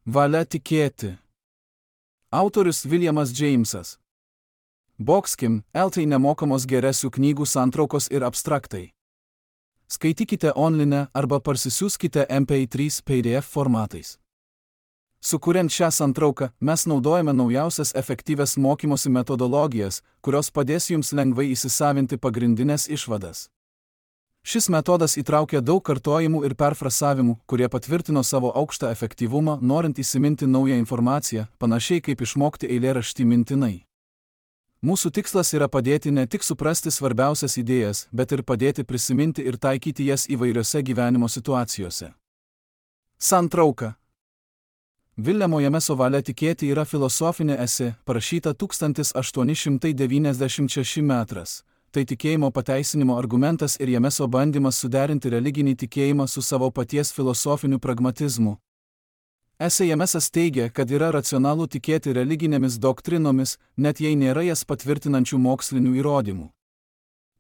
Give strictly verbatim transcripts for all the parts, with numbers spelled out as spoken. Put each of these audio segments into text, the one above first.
Valia tikėti. Autorius Williamas Jamesas. Boxkim, L T nemokamos geresių knygų santraukos ir abstraktai. Skaitykite online arba parsisiųskite M P trys P D F formatais. Sukuriant šią santrauką, mes naudojame naujausias efektyvias mokymosi metodologijas, kurios padės jums lengvai įsisavinti pagrindinės išvadas. Šis metodas įtraukia daug kartojimų ir perfrasavimų, kurie patvirtino savo aukštą efektyvumą, norint įsiminti naują informaciją, panašiai kaip išmokti eilėraštį mintinai. Mūsų tikslas yra padėti ne tik suprasti svarbiausias idėjas, bet ir padėti prisiminti ir taikyti jas įvairiose gyvenimo situacijose. Santrauka. Viljamo Jameso Valia tikėti yra filosofinė esė, parašyta tūkstantis aštuoni šimtai devyniasdešimt šeštais metais. Tai tikėjimo pateisinimo argumentas ir Jameso bandymas suderinti religinį tikėjimą su savo paties filosofiniu pragmatizmu. Esė Jamesas teigia, kad yra racionalu tikėti religinėmis doktrinomis, net jei nėra jas patvirtinančių mokslinių įrodymų.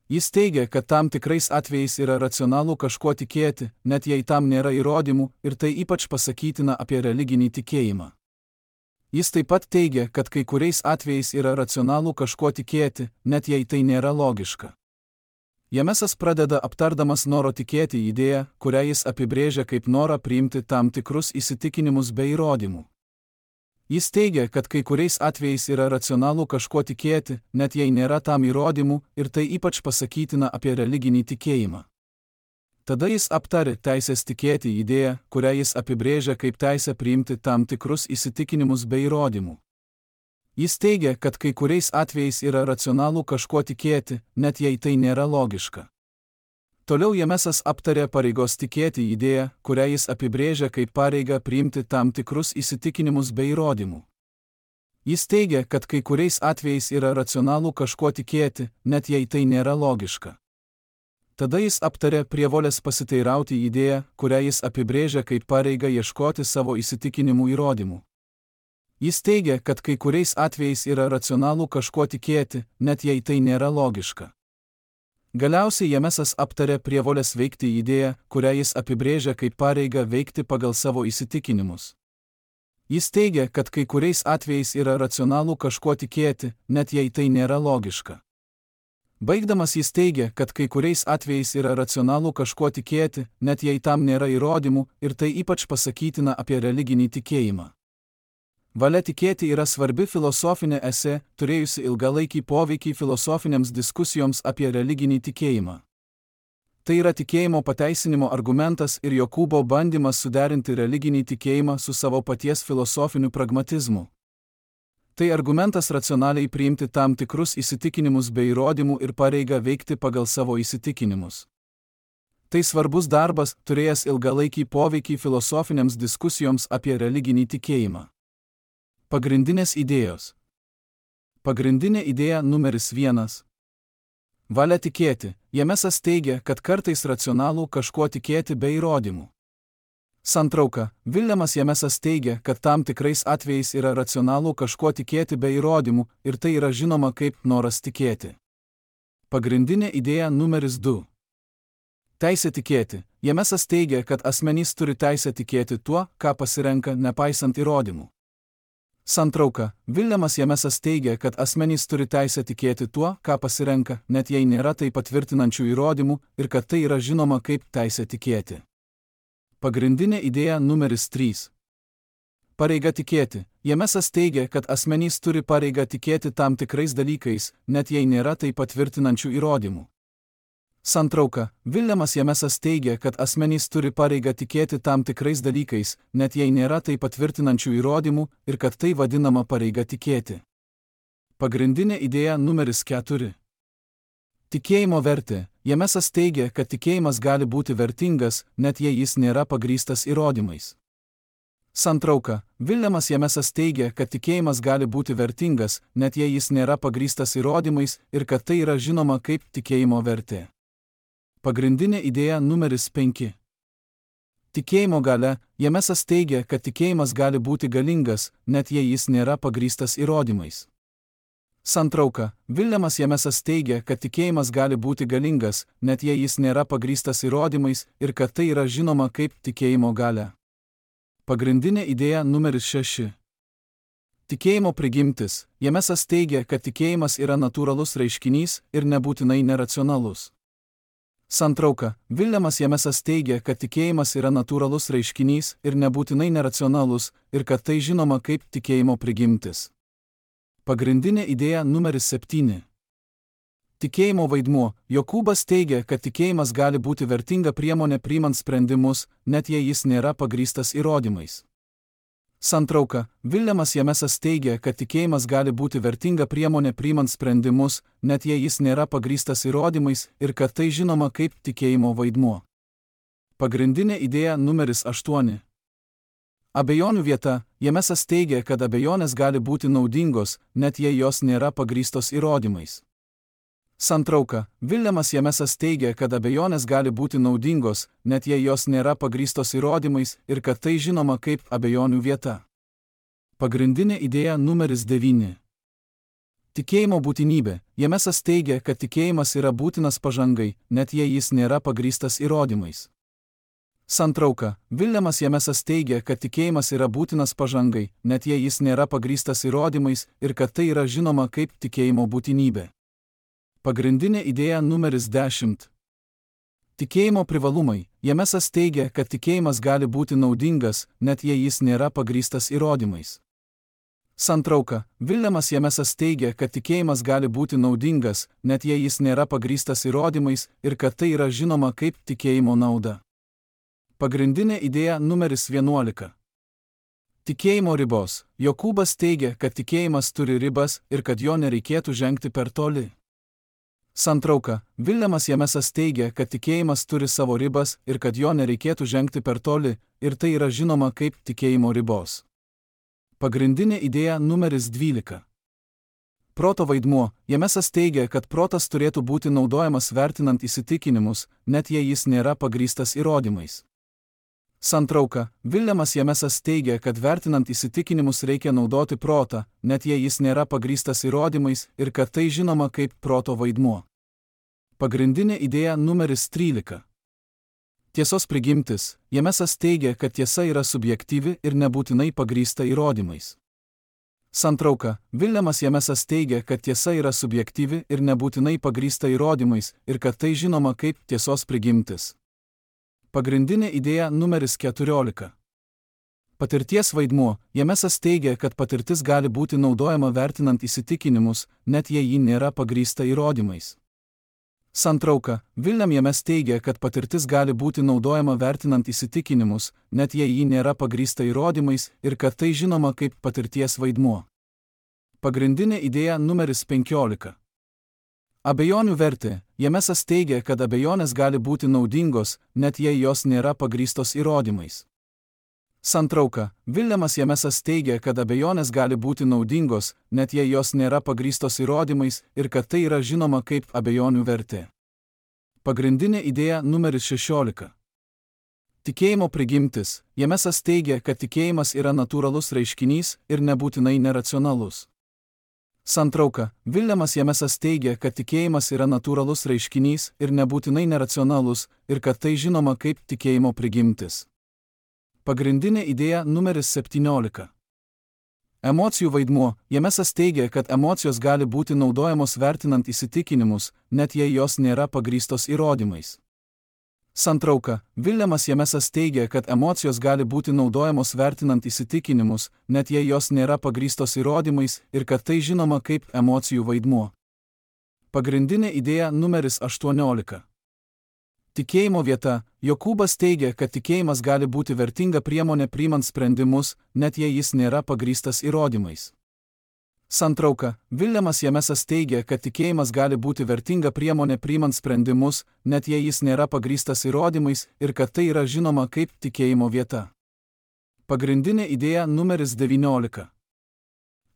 Jis teigia, kad tam tikrais atvejais yra racionalu kažkuo tikėti, net jei tam nėra įrodymų, ir tai ypač pasakytina apie religinį tikėjimą. Jis taip pat teigia, kad kai kuriais atvejais yra racionalu kažkuo tikėti, net jei tai nėra logiška. Jamesas pradeda aptardamas noro tikėti idėją, kurią jis apibrėžia kaip norą priimti tam tikrus įsitikinimus be įrodymų. Jis teigia, kad kai kuriais atvejais yra racionalu kažkuo tikėti, net jei nėra tam įrodymų, ir tai ypač pasakytina apie religinį tikėjimą. Tada jis aptarė teisės tikėti idėją, kurią jis apibrėžia kaip teisę priimti tam tikrus įsitikinimus be įrodymų. Jis teigia, kad kai kuriais atvejais yra racionalu kažkuo tikėti, net jei tai nėra logiška. Toliau Jamesas aptarė pareigos tikėti idėją, kurią jis apibrėžia kaip pareigą priimti tam tikrus įsitikinimus be įrodymų. Jis teigia, kad kai kuriais atvejais yra racionalu kažkuo tikėti, net jei tai nėra logiška. Tada jis aptarė prievolės pasiteirauti idėją, kurią jis apibrėžia kaip pareigą ieškoti savo įsitikinimų įrodymų. Jis teigia, kad kai kuriais atvejais yra racionalu kažkuo tikėti, net jei tai nėra logiška. Galiausiai Jamesas aptarė prievolės veikti idėją, kurią jis apibrėžia kaip pareigą veikti pagal savo įsitikinimus. Jis teigia, kad kai kuriais atvejais yra racionalu kažkuo tikėti, net jei tai nėra logiška. Baigdamas jis teigia, kad kai kuriais atvejais yra racionalu kažkuo tikėti, net jei tam nėra įrodymų, ir tai ypač pasakytina apie religinį tikėjimą. Valia tikėti yra svarbi filosofinė esė, turėjusi ilgalaikį poveikį filosofinėms diskusijoms apie religinį tikėjimą. Tai yra tikėjimo pateisinimo argumentas ir Jokūbo bandymas suderinti religinį tikėjimą su savo paties filosofiniu pragmatizmu. Tai argumentas racionaliai priimti tam tikrus įsitikinimus be įrodymų ir pareigą veikti pagal savo įsitikinimus. Tai svarbus darbas, turėjęs ilgalaikį poveikį filosofinėms diskusijoms apie religinį tikėjimą. Pagrindinės idėjos. Pagrindinė idėja numeris vienas. Valia tikėti. Jamesas teigia, kad kartais racionalu kažkuo tikėti be įrodymų. Santrauka. Viljamas Jamesas teigia, kad tam tikrais atvejais yra racionalu kažkuo tikėti be įrodymų, ir tai yra žinoma kaip noras tikėti. Pagrindinė idėja numeris du. Teisė tikėti. Jamesas teigia, kad asmenys turi teisę tikėti tuo, ką pasirenka, nepaisant įrodymų. Santrauka. Viljamas Jamesas teigia, kad asmenys turi teisę tikėti tuo, ką pasirenka, net jei nėra tai patvirtinančių įrodymų, ir kad tai yra žinoma kaip teisė tikėti. Pagrindinė idėja numeris trys. Pareiga tikėti. Jamesas teigia, kad asmenys turi pareigą tikėti tam tikrais dalykais, net jei nėra tai patvirtinančių įrodymų. Santrauka. Viljamas Jamesas teigia, kad asmenys turi pareigą tikėti tam tikrais dalykais, net jei nėra tai patvirtinančių įrodymų, ir kad tai vadinama pareiga tikėti. Pagrindinė idėja numeris keturi. Tikėjimo vertė. Jamesas teigia, kad tikėjimas gali būti vertingas, net jei jis nėra pagrįstas įrodymais. Santrauka. Viljamas Jamesas teigia, kad tikėjimas gali būti vertingas, net jei jis nėra pagrįstas įrodymais, ir kad tai yra žinoma kaip tikėjimo vertė. Pagrindinė idėja numeris penki. Tikėjimo galia. Jamesas teigia, kad tikėjimas gali būti galingas, net jei jis nėra pagrįstas įrodymais. Santrauka. Viljamas Jamesas teigia, kad tikėjimas gali būti galingas, net jei jis nėra pagrįstas įrodymais, ir kad tai yra žinoma kaip tikėjimo galia. Pagrindinė idėja numeris šeši. Tikėjimo prigimtis. Jamesas teigia, kad tikėjimas yra natūralus reiškinys ir nebūtinai neracionalus. Santrauka. Viljamas Jamesas teigia, kad tikėjimas yra natūralus reiškinys ir nebūtinai neracionalus ir kad tai žinoma kaip tikėjimo prigimtis. Pagrindinė idėja numeris septyni. Tikėjimo vaidmuo. Jokūbas teigia, kad tikėjimas gali būti vertinga priemonė priimant sprendimus, net jei jis nėra pagrįstas įrodymais. Santrauka. Viljamas Jamesas teigia, kad tikėjimas gali būti vertinga priemonė priimant sprendimus, net jei jis nėra pagrįstas įrodymais ir kad tai žinoma kaip tikėjimo vaidmuo. Pagrindinė idėja numeris aštuoni. Abejonių vieta. Jamesas teigia, kad abejonės gali būti naudingos, net jei jos nėra pagrįstos įrodymais. Santrauka. Viljamas Jamesas teigia, kad abejonės gali būti naudingos, net jei jos nėra pagrįstos įrodymais ir kad tai žinoma kaip abejonių vieta. Pagrindinė idėja numeris devyni. Tikėjimo būtinybė. Jamesas teigia, kad tikėjimas yra būtinas pažangai, net jei jis nėra pagrįstas įrodymais. Santrauka. Viljamas Jamesas teigia, kad tikėjimas yra būtinas pažangai, net jei jis nėra pagrįstas įrodymais ir kad tai yra žinoma kaip tikėjimo būtinybė. Pagrindinė idėja numeris dešimt. Tikėjimo privalumai. Jamesas teigia, kad tikėjimas gali būti naudingas, net jei jis nėra pagrįstas įrodymais. Santrauka. Viljamas Jamesas teigia, kad tikėjimas gali būti naudingas, net jei jis nėra pagrįstas įrodymais ir kad tai yra žinoma kaip tikėjimo nauda. Pagrindinė idėja numeris vienuolika. Tikėjimo ribos. Jokūbas teigia, kad tikėjimas turi ribas ir kad jo nereikėtų žengti per toli. Santrauka. Viljamas Jamesas teigia, kad tikėjimas turi savo ribas ir kad jo nereikėtų žengti per toli, ir tai yra žinoma kaip tikėjimo ribos. Pagrindinė idėja numeris dvylika. Proto vaidmuo. Jamesas teigia, kad protas turėtų būti naudojamas vertinant įsitikinimus, net jei jis nėra pagrįstas įrodymais. Santrauka. Viljamas Jamesas teigia, kad vertinant įsitikinimus reikia naudoti protą, net jei jis nėra pagrįstas įrodymais ir kad tai žinoma kaip proto vaidmuo. Pagrindinė idėja numeris trylika. Tiesos prigimtis. Jamesas teigia, kad tiesa yra subjektyvi ir nebūtinai pagrįsta įrodymais. Santrauka. Viljamas Jamesas teigia, kad tiesa yra subjektyvi ir nebūtinai pagrįsta įrodymais ir kad tai žinoma kaip tiesos prigimtis. Pagrindinė idėja numeris keturiolika. Patirties vaidmuo. Jamesas teigia, kad patirtis gali būti naudojama vertinant įsitikinimus, net jei ji nėra pagrįsta įrodymais. Santrauka. William James teigia, kad patirtis gali būti naudojama vertinant įsitikinimus, net jei ji nėra pagrįsta įrodymais ir kad tai žinoma kaip patirties vaidmuo. Pagrindinė idėja numeris penkiolika. Abejonių vertė. Jamesas teigia, kad abejonės gali būti naudingos, net jei jos nėra pagrįstos įrodymais. Santrauka. Williamas Jamesas teigia, kad abejonės gali būti naudingos, net jei jos nėra pagrįstos įrodymais ir kad tai yra žinoma kaip abejonių vertė. Pagrindinė idėja numeris šešiolika. Tikėjimo prigimtis. Jamesas teigia, kad tikėjimas yra natūralus reiškinys ir nebūtinai neracionalus. Santrauka. Williamas Jamesas teigia, kad tikėjimas yra natūralus reiškinys ir nebūtinai neracionalus ir kad tai žinoma kaip tikėjimo prigimtis. Pagrindinė idėja numeris septyniolika. Emocijų vaidmuo. Jamesas teigia, kad emocijos gali būti naudojamos vertinant įsitikinimus, net jei jos nėra pagrįstos įrodymais. Santrauka. Williamas Jamesas teigia, kad emocijos gali būti naudojamos vertinant įsitikinimus, net jei jos nėra pagrįstos įrodymais ir kad tai žinoma kaip emocijų vaidmuo. Pagrindinė idėja numeris aštuoniolika. Tikėjimo vieta. Jokūbas teigia, kad tikėjimas gali būti vertinga priemonė priimant sprendimus, net jei jis nėra pagrįstas įrodymais. Santrauka. Williamas Jamesas teigia, kad tikėjimas gali būti vertinga priemonė priimant sprendimus, net jei jis nėra pagrįstas įrodymais ir kad tai yra žinoma kaip tikėjimo vieta. Pagrindinė idėja numeris devyniolika.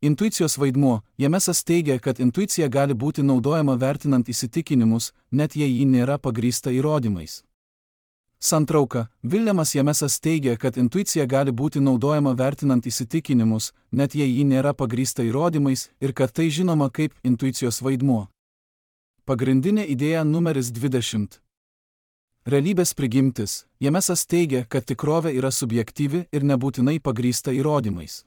Intuicijos vaidmuo. Jamesas teigia, kad intuicija gali būti naudojama vertinant įsitikinimus, net jei ji nėra pagrįsta įrodymais. Santrauka. Williamas Jamesas teigia, kad intuicija gali būti naudojama vertinant įsitikinimus, net jei ji nėra pagrįsta įrodymais ir kad tai žinoma kaip intuicijos vaidmuo. Pagrindinė idėja numeris dvidešimt. Realybės prigimtis. Jamesas teigia, kad tikrovė yra subjektyvi ir nebūtinai pagrįsta įrodymais.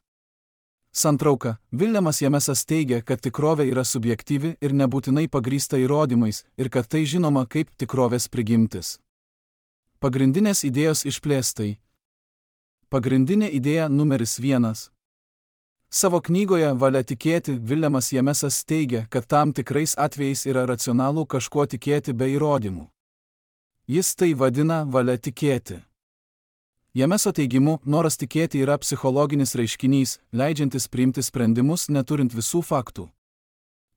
Santrauka. Viljamas Jamesas teigia, kad tikrovė yra subjektyvi ir nebūtinai pagrįsta įrodymais ir kad tai žinoma kaip tikrovės prigimtis. Pagrindinės idėjos išplėstai. Pagrindinė idėja numeris vienas. Savo knygoje Valia tikėti Viljamas Jamesas teigia, kad tam tikrais atvejais yra racionalu kažkuo tikėti be įrodymų. Jis tai vadina valia tikėti. Jameso teigimu, noras tikėti yra psichologinis reiškinys, leidžiantis priimti sprendimus neturint visų faktų.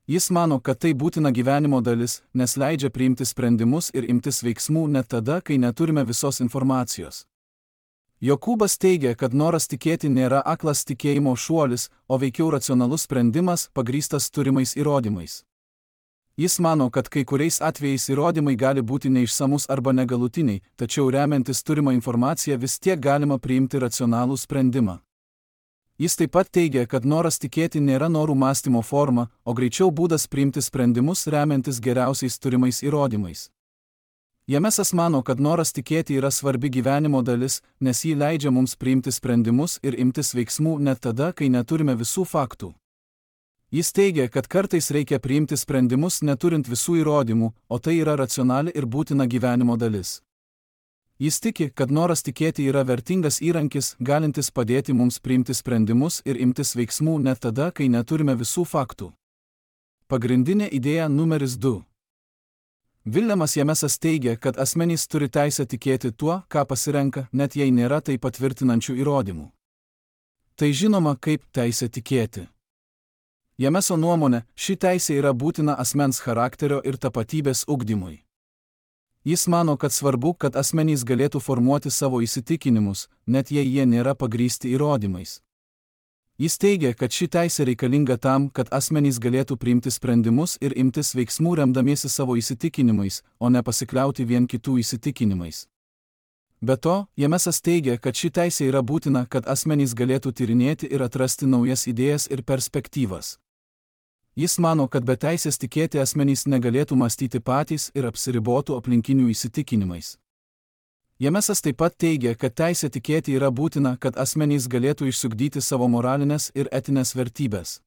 Jis mano, kad tai būtina gyvenimo dalis, nes leidžia priimti sprendimus ir imtis veiksmų net tada, kai neturime visos informacijos. Jokūbas teigia, kad noras tikėti nėra aklas tikėjimo šuolis, o veikiau racionalus sprendimas, pagrįstas turimais įrodymais. Jis mano, kad kai kuriais atvejais įrodymai gali būti neišsamus arba negalutiniai, tačiau remiantis turimą informaciją vis tiek galima priimti racionalų sprendimą. Jis taip pat teigia, kad noras tikėti nėra norų mąstymo forma, o greičiau būdas priimti sprendimus remiantis geriausiais turimais įrodymais. Jamesas mano, kad noras tikėti yra svarbi gyvenimo dalis, nes jį leidžia mums priimti sprendimus ir imtis veiksmų net tada, kai neturime visų faktų. Jis teigia, kad kartais reikia priimti sprendimus neturint visų įrodymų, o tai yra racionali ir būtina gyvenimo dalis. Jis tiki, kad noras tikėti yra vertingas įrankis, galintis padėti mums priimti sprendimus ir imtis veiksmų net tada, kai neturime visų faktų. Pagrindinė idėja numeris du. Viljamas Jamesas teigia, kad asmenys turi teisę tikėti tuo, ką pasirenka, net jei nėra tai patvirtinančių įrodymų. Tai žinoma kaip teisė tikėti. Jameso nuomone, ši teisė yra būtina asmens charakterio ir tapatybės ugdymui. Jis mano, kad svarbu, kad asmenys galėtų formuoti savo įsitikinimus, net jei jie nėra pagrįsti įrodymais. Jis teigia, kad ši teisė reikalinga tam, kad asmenys galėtų priimti sprendimus ir imtis veiksmų remdamiesi savo įsitikinimais, o ne pasikliauti vien kitų įsitikinimais. Be to, Jamesas teigia, kad ši teisė yra būtina, kad asmenys galėtų tyrinėti ir atrasti naujas idėjas ir perspektyvas. Jis mano, kad be teisės tikėti asmenys negalėtų mąstyti patys ir apsiribotų aplinkinių įsitikinimais. Jamesas taip pat teigia, kad teisė tikėti yra būtina, kad asmenys galėtų išsiugdyti savo moralinės ir etinės vertybės.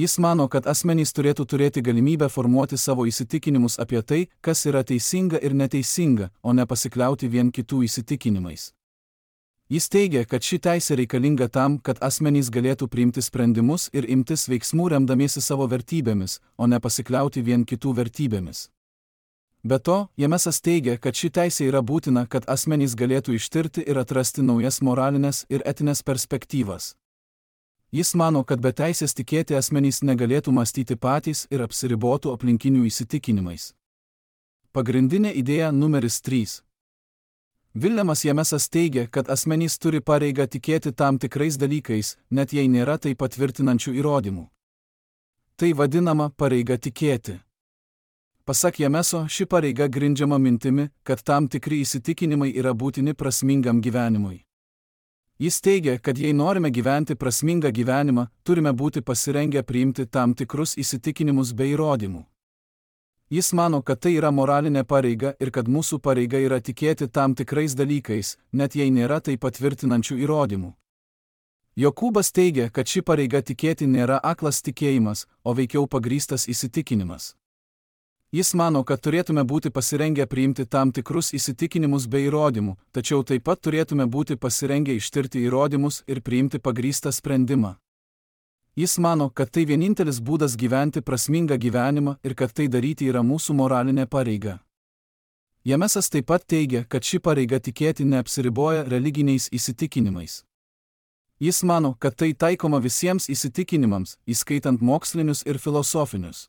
Jis mano, kad asmenys turėtų turėti galimybę formuoti savo įsitikinimus apie tai, kas yra teisinga ir neteisinga, o ne pasikliauti vien kitų įsitikinimais. Jis teigia, kad ši teisė reikalinga tam, kad asmenys galėtų priimti sprendimus ir imtis veiksmų remdamiesi savo vertybėmis, o ne pasikliauti vien kitų vertybėmis. Be to, Jamesas teigia, kad ši teisė yra būtina, kad asmenys galėtų ištirti ir atrasti naujas moralinės ir etinės perspektyvas. Jis mano, kad be teisės tikėti asmenys negalėtų mąstyti patys ir apsiribotų aplinkinių įsitikinimais. Pagrindinė idėja numeris trys. Viljamas Jamesas teigia, kad asmenys turi pareigą tikėti tam tikrais dalykais, net jei nėra tai patvirtinančių įrodymų. Tai vadinama pareiga tikėti. Pasak Jameso, ši pareiga grindžiama mintimi, kad tam tikri įsitikinimai yra būtini prasmingam gyvenimui. Jis teigia, kad jei norime gyventi prasmingą gyvenimą, turime būti pasirengę priimti tam tikrus įsitikinimus be įrodymų. Jis mano, kad tai yra moralinė pareiga ir kad mūsų pareiga yra tikėti tam tikrais dalykais, net jei nėra tai patvirtinančių įrodymų. Jokūbas teigia, kad ši pareiga tikėti nėra aklas tikėjimas, o veikiau pagrįstas įsitikinimas. Jis mano, kad turėtume būti pasirengę priimti tam tikrus įsitikinimus be įrodymų, tačiau taip pat turėtume būti pasirengę ištirti įrodymus ir priimti pagrįstą sprendimą. Jis mano, kad tai vienintelis būdas gyventi prasmingą gyvenimą ir kad tai daryti yra mūsų moralinė pareiga. Jamesas taip pat teigia, kad ši pareiga tikėti neapsiriboja religiniais įsitikinimais. Jis mano, kad tai taikoma visiems įsitikinimams, įskaitant mokslinius ir filosofinius.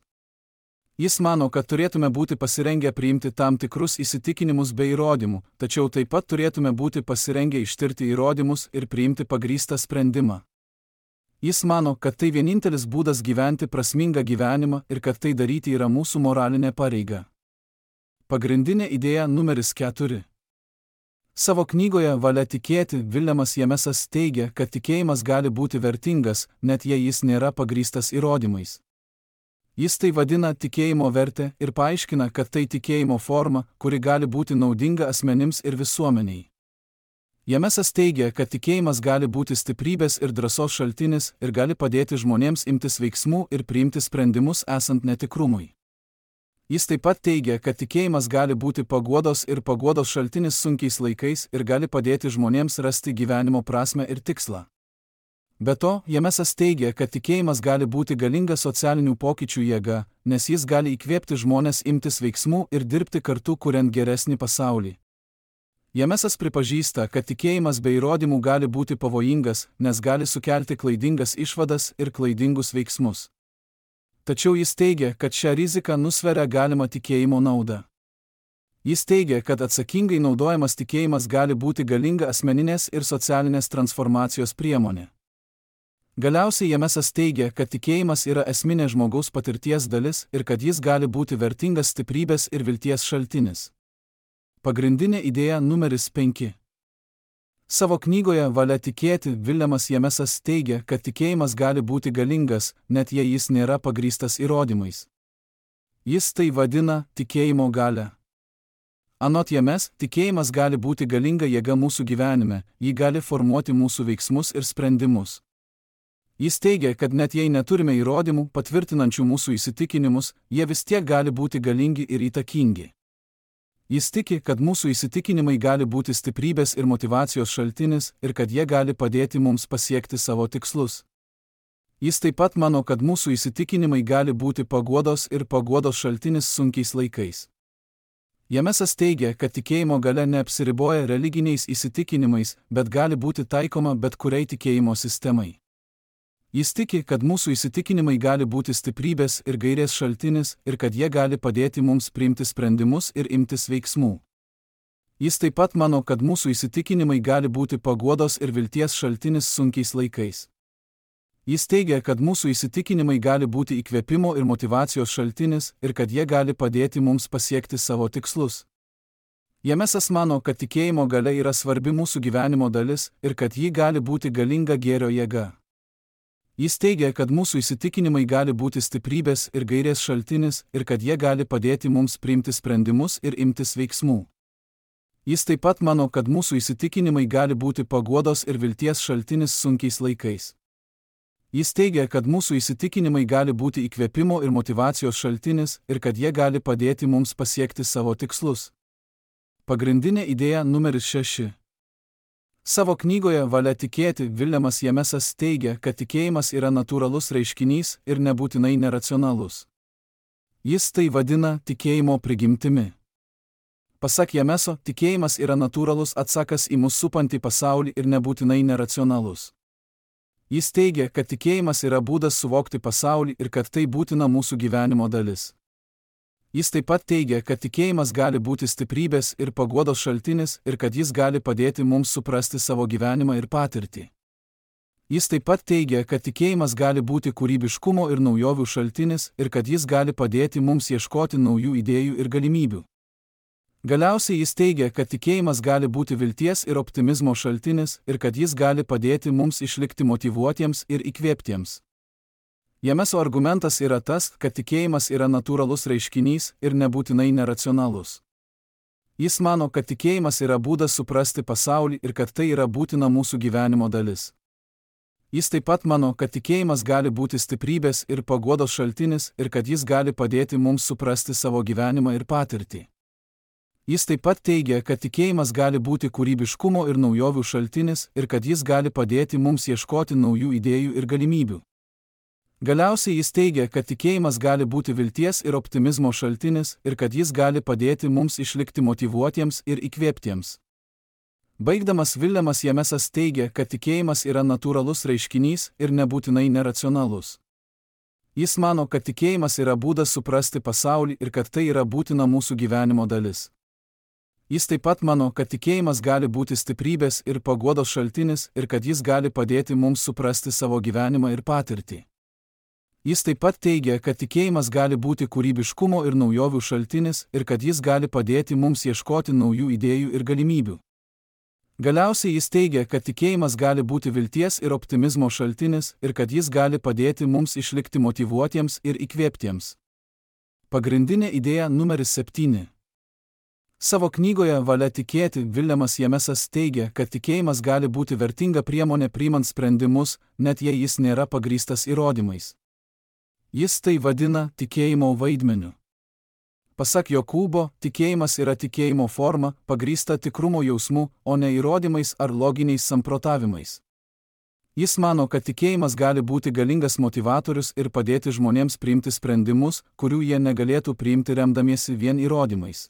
Jis mano, kad turėtume būti pasirengę priimti tam tikrus įsitikinimus be įrodymų, tačiau taip pat turėtume būti pasirengę ištirti įrodymus ir priimti pagrįstą sprendimą. Jis mano, kad tai vienintelis būdas gyventi prasmingą gyvenimą ir kad tai daryti yra mūsų moralinė pareiga. Pagrindinė idėja numeris keturi. Savo knygoje Valia tikėti Viljamas Jamesas teigia, kad tikėjimas gali būti vertingas, net jei jis nėra pagrįstas įrodymais. Jis tai vadina tikėjimo vertę ir paaiškina, kad tai tikėjimo forma, kuri gali būti naudinga asmenims ir visuomeniai. Jamesas teigia, kad tikėjimas gali būti stiprybės ir drąsos šaltinis ir gali padėti žmonėms imtis veiksmų ir priimti sprendimus esant netikrumui. Jis taip pat teigia, kad tikėjimas gali būti paguodos ir paguodos šaltinis sunkiais laikais ir gali padėti žmonėms rasti gyvenimo prasmę ir tikslą. Be to, Jamesas teigia, kad tikėjimas gali būti galinga socialinių pokyčių jėga, nes jis gali įkvėpti žmonės imtis veiksmų ir dirbti kartu kuriant geresnį pasaulį. Jamesas pripažįsta, kad tikėjimas be įrodymų gali būti pavojingas, nes gali sukelti klaidingas išvadas ir klaidingus veiksmus. Tačiau jis teigia, kad šią riziką nusveria galima tikėjimo nauda. Jis teigia, kad atsakingai naudojamas tikėjimas gali būti galinga asmeninės ir socialinės transformacijos priemonė. Galiausiai Jamesas teigia, kad tikėjimas yra esminė žmogaus patirties dalis ir kad jis gali būti vertingas stiprybės ir vilties šaltinis. Pagrindinė idėja numeris penki. Savo knygoje Valia tikėti Viljamas Jamesas teigia, kad tikėjimas gali būti galingas, net jei jis nėra pagrįstas įrodymais. Jis tai vadina tikėjimo galia. Anot James, tikėjimas gali būti galinga jėga mūsų gyvenime, ji gali formuoti mūsų veiksmus ir sprendimus. Jis teigia, kad net jei neturime įrodymų patvirtinančių mūsų įsitikinimus, jie vis tiek gali būti galingi ir įtakingi. Jis tiki, kad mūsų įsitikinimai gali būti stiprybės ir motyvacijos šaltinis ir kad jie gali padėti mums pasiekti savo tikslus. Jis taip pat mano, kad mūsų įsitikinimai gali būti paguodos ir paguodos šaltinis sunkiais laikais. Jamesas teigia, kad tikėjimo galia neapsiriboja religiniais įsitikinimais, bet gali būti taikoma bet kuriai tikėjimo sistemai. Jis tiki, kad mūsų įsitikinimai gali būti stiprybės ir gairės šaltinis ir kad jie gali padėti mums priimti sprendimus ir imtis veiksmų. Jis taip pat mano, kad mūsų įsitikinimai gali būti paguodos ir vilties šaltinis sunkiais laikais. Jis teigia, kad mūsų įsitikinimai gali būti įkvėpimo ir motyvacijos šaltinis ir kad jie gali padėti mums pasiekti savo tikslus. Jamesas mano, kad tikėjimo galia yra svarbi mūsų gyvenimo dalis ir kad ji gali būti galinga gėrio jėga. Jis teigia, kad mūsų įsitikinimai gali būti stiprybės ir gairės šaltinis ir kad jie gali padėti mums priimti sprendimus ir imtis veiksmų. Jis taip pat mano, kad mūsų įsitikinimai gali būti paguodos ir vilties šaltinis sunkiais laikais. Jis teigia, kad mūsų įsitikinimai gali būti įkvėpimo ir motyvacijos šaltinis ir kad jie gali padėti mums pasiekti savo tikslus. Pagrindinė idėja numeris šeši. Savo knygoje Valia tikėti Viljamas Jamesas teigia, kad tikėjimas yra natūralus reiškinys ir nebūtinai neracionalus. Jis tai vadina tikėjimo prigimtimi. Pasak Jameso, tikėjimas yra natūralus atsakas į mus supantį pasaulį ir nebūtinai neracionalus. Jis teigia, kad tikėjimas yra būdas suvokti pasaulį ir kad tai būtina mūsų gyvenimo dalis. Jis taip pat teigia, kad tikėjimas gali būti stiprybės ir paguodos šaltinis ir kad jis gali padėti mums suprasti savo gyvenimą ir patirtį. Jis taip pat teigia, kad tikėjimas gali būti kūrybiškumo ir naujovių šaltinis ir kad jis gali padėti mums ieškoti naujų idėjų ir galimybių. Galiausiai jis teigia, kad tikėjimas gali būti vilties ir optimizmo šaltinis ir kad jis gali padėti mums išlikti motyvuotiems ir įkvėptiems. Jameso argumentas yra tas, kad tikėjimas yra natūralus reiškinys ir nebūtinai neracionalus. Jis mano, kad tikėjimas yra būdas suprasti pasaulį ir kad tai yra būtina mūsų gyvenimo dalis. Jis taip pat mano, kad tikėjimas gali būti stiprybės ir paguodos šaltinis ir kad jis gali padėti mums suprasti savo gyvenimą ir patirtį. Jis taip pat teigia, kad tikėjimas gali būti kūrybiškumo ir naujovių šaltinis ir kad jis gali padėti mums ieškoti naujų idėjų ir galimybių. Galiausiai jis teigia, kad tikėjimas gali būti vilties ir optimizmo šaltinis ir kad jis gali padėti mums išlikti motyvuotiems ir įkvėptiems. Baigdamas Viljamas Jamesas teigia, kad tikėjimas yra natūralus reiškinys ir nebūtinai neracionalus. Jis mano, kad tikėjimas yra būdas suprasti pasaulį ir kad tai yra būtina mūsų gyvenimo dalis. Jis taip pat mano, kad tikėjimas gali būti stiprybės ir paguodos šaltinis ir kad jis gali padėti mums suprasti savo gyvenimą ir patirtį. Jis taip pat teigia, kad tikėjimas gali būti kūrybiškumo ir naujovių šaltinis ir kad jis gali padėti mums ieškoti naujų idėjų ir galimybių. Galiausiai jis teigia, kad tikėjimas gali būti vilties ir optimizmo šaltinis ir kad jis gali padėti mums išlikti motyvuotiems ir įkvėptiems. Pagrindinė idėja numeris septyni. Savo knygoje Valia tikėti Viljamas Jamesas teigia, kad tikėjimas gali būti vertinga priemonė priimant sprendimus, net jei jis nėra pagrįstas įrodymais. Jis tai vadina tikėjimo vaidmeniu. Pasak Jokūbo, tikėjimas yra tikėjimo forma, pagrįsta tikrumo jausmu, o ne įrodymais ar loginiais samprotavimais. Jis mano, kad tikėjimas gali būti galingas motivatorius ir padėti žmonėms priimti sprendimus, kurių jie negalėtų priimti remdamiesi vien įrodymais.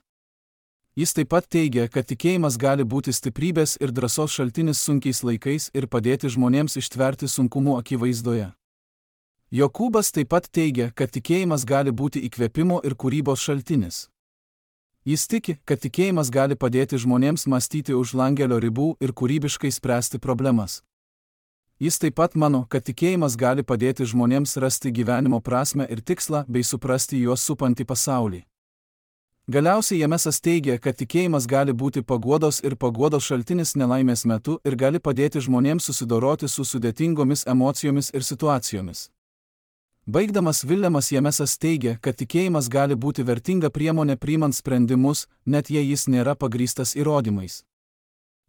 Jis taip pat teigia, kad tikėjimas gali būti stiprybės ir drąsos šaltinis sunkiais laikais ir padėti žmonėms ištverti sunkumų akivaizdoje. Jokūbas taip pat teigia, kad tikėjimas gali būti įkvėpimo ir kūrybos šaltinis. Jis tiki, kad tikėjimas gali padėti žmonėms mąstyti už langelio ribų ir kūrybiškai spręsti problemas. Jis taip pat mano, kad tikėjimas gali padėti žmonėms rasti gyvenimo prasmę ir tikslą bei suprasti juos supantį pasaulį. Galiausiai Jamesas teigia, kad tikėjimas gali būti paguodos ir paguodos šaltinis nelaimės metu ir gali padėti žmonėms susidoroti su sudėtingomis emocijomis ir situacijomis. Baigdamas Viljamas Jamesas teigia, kad tikėjimas gali būti vertinga priemonė priimant sprendimus, net jei jis nėra pagrįstas įrodymais.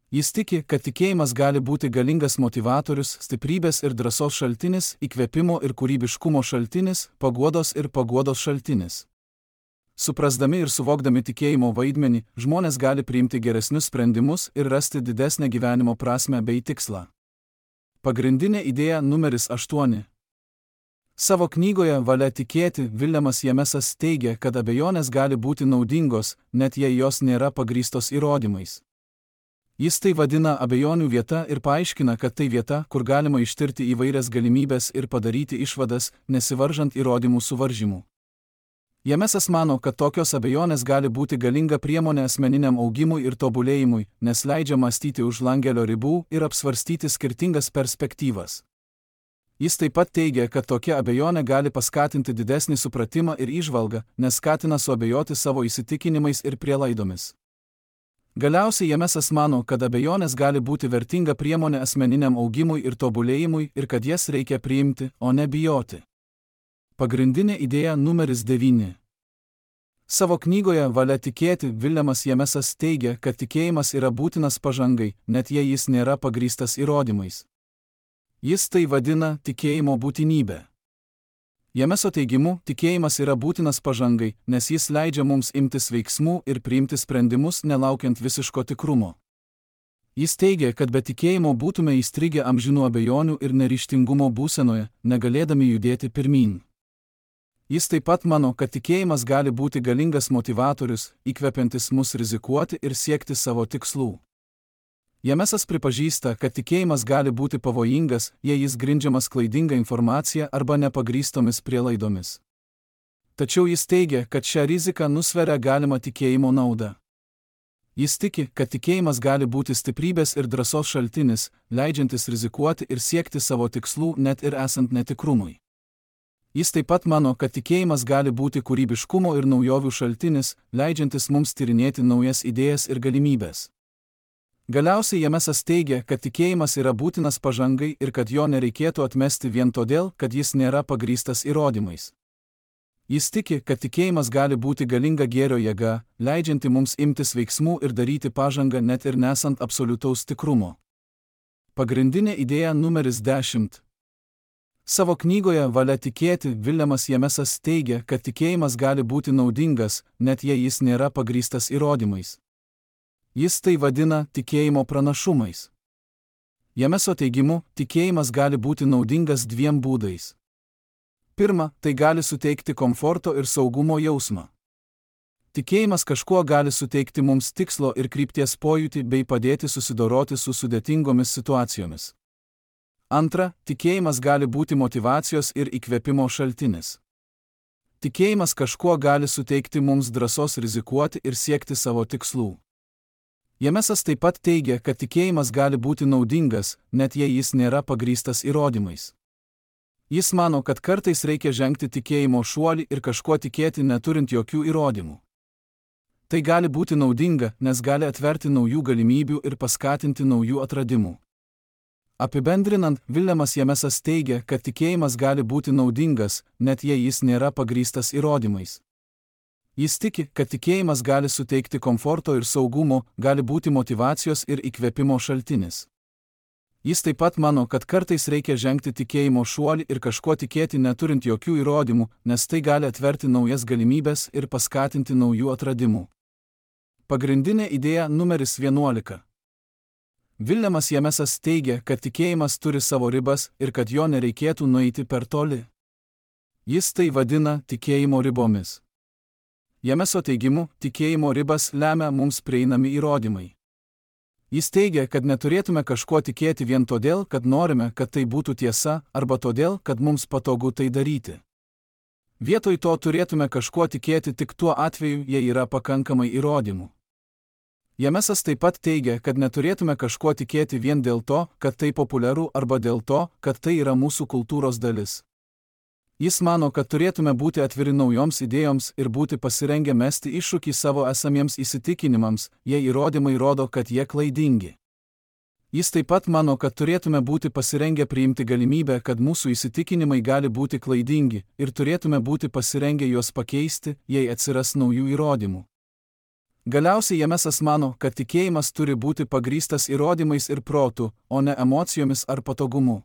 Jis tiki, kad tikėjimas gali būti galingas motivatorius, stiprybės ir drąsos šaltinis, įkvėpimo ir kūrybiškumo šaltinis, paguodos ir paguodos šaltinis. Suprasdami ir suvokdami tikėjimo vaidmenį, žmonės gali priimti geresnius sprendimus ir rasti didesnę gyvenimo prasmę bei tikslą. Pagrindinė idėja numeris aštuoni. Savo knygoje Valia tikėti Viljamas Jamesas teigia, kad abejonės gali būti naudingos, net jei jos nėra pagrįstos įrodymais. Jis tai vadina abejonių vieta ir paaiškina, kad tai vieta, kur galima ištirti įvairias galimybės ir padaryti išvadas, nesivaržant įrodymų suvaržymų. Jamesas mano, kad tokios abejonės gali būti galinga priemonė asmeniniam augimui ir tobulėjimui, nes leidžia mąstyti už langelio ribų ir apsvarstyti skirtingas perspektyvas. Jis taip pat teigia, kad tokia abejonė gali paskatinti didesnį supratimą ir įžvalgą, nes skatina suabejoti savo įsitikinimais ir prielaidomis. Galiausiai Jamesas mano, kad abejonės gali būti vertinga priemonė asmeniniam augimui ir tobulėjimui ir kad jas reikia priimti, o ne bijoti. Pagrindinė idėja numeris devyni. Savo knygoje Valia tikėti Viljamas Jamesas teigia, kad tikėjimas yra būtinas pažangai, net jei jis nėra pagrįstas įrodymais. Jis tai vadina tikėjimo būtinybę. Jameso teigimu, tikėjimas yra būtinas pažangai, nes jis leidžia mums imtis veiksmų ir priimti sprendimus nelaukiant visiško tikrumo. Jis teigia, kad be tikėjimo būtume įstrigę amžinų abejonių ir neryžtingumo būsenoje, negalėdami judėti pirmyn. Jis taip pat mano, kad tikėjimas gali būti galingas motivatorius, įkvepiantis mus rizikuoti ir siekti savo tikslų. Jamesas pripažįsta, kad tikėjimas gali būti pavojingas, jei jis grindžiamas klaidinga informacija arba nepagrįstomis prielaidomis. Tačiau jis teigia, kad šią riziką nusveria galima tikėjimo nauda. Jis tiki, kad tikėjimas gali būti stiprybės ir drąsos šaltinis, leidžiantis rizikuoti ir siekti savo tikslų net ir esant netikrumui. Jis taip pat mano, kad tikėjimas gali būti kūrybiškumo ir naujovių šaltinis, leidžiantis mums tyrinėti naujas idėjas ir galimybės. Galiausiai Jamesas teigia, kad tikėjimas yra būtinas pažangai ir kad jo nereikėtų atmesti vien todėl, kad jis nėra pagrįstas įrodymais. Jis tiki, kad tikėjimas gali būti galinga gėrio jėga, leidžianti mums imtis veiksmų ir daryti pažangą net ir nesant absoliutaus tikrumo. Pagrindinė idėja numeris dešimt. Savo knygoje Valia tikėti Viljamas Jamesas teigia, kad tikėjimas gali būti naudingas, net jei jis nėra pagrįstas įrodymais. Jis tai vadina tikėjimo pranašumais. Jameso teigimu, tikėjimas gali būti naudingas dviem būdais. Pirma, tai gali suteikti komforto ir saugumo jausmą. Tikėjimas kažkuo gali suteikti mums tikslo ir krypties pojūtį bei padėti susidoroti su sudėtingomis situacijomis. Antra, tikėjimas gali būti motyvacijos ir įkvėpimo šaltinis. Tikėjimas kažkuo gali suteikti mums drąsos rizikuoti ir siekti savo tikslų. Jamesas taip pat teigia, kad tikėjimas gali būti naudingas, net jei jis nėra pagrįstas įrodymais. Jis mano, kad kartais reikia žengti tikėjimo šuolį ir kažkuo tikėti neturint jokių įrodymų. Tai gali būti naudinga, nes gali atverti naujų galimybių ir paskatinti naujų atradimų. Apibendrinant, Viljamas Jamesas teigia, kad tikėjimas gali būti naudingas, net jei jis nėra pagrįstas įrodymais. Jis tiki, kad tikėjimas gali suteikti komforto ir saugumo, gali būti motyvacijos ir įkvėpimo šaltinis. Jis taip pat mano, kad kartais reikia žengti tikėjimo šuolį ir kažko tikėti neturint jokių įrodymų, nes tai gali atverti naujas galimybės ir paskatinti naujų atradimų. Pagrindinė idėja numeris vienuolika. Viljamas Jamesas teigia, kad tikėjimas turi savo ribas ir kad jo nereikėtų nueiti per toli. Jis tai vadina tikėjimo ribomis. Jameso teigimu, tikėjimo ribas lemia mums prieinami įrodymai. Jis teigia, kad neturėtume kažko tikėti vien todėl, kad norime, kad tai būtų tiesa, arba todėl, kad mums patogu tai daryti. Vietoj to turėtume kažko tikėti tik tuo atveju, jei yra pakankamai įrodymų. Jamesas taip pat teigia, kad neturėtume kažko tikėti vien dėl to, kad tai populiaru arba dėl to, kad tai yra mūsų kultūros dalis. Jis mano, kad turėtume būti atviri naujoms idėjoms ir būti pasirengę mesti iššūkį savo esamiems įsitikinimams, jei įrodymai rodo, kad jie klaidingi. Jis taip pat mano, kad turėtume būti pasirengę priimti galimybę, kad mūsų įsitikinimai gali būti klaidingi, ir turėtume būti pasirengę juos pakeisti, jei atsiras naujų įrodymų. Galiausiai Jamesas mano, kad tikėjimas turi būti pagrįstas įrodymais ir protu, o ne emocijomis ar patogumu.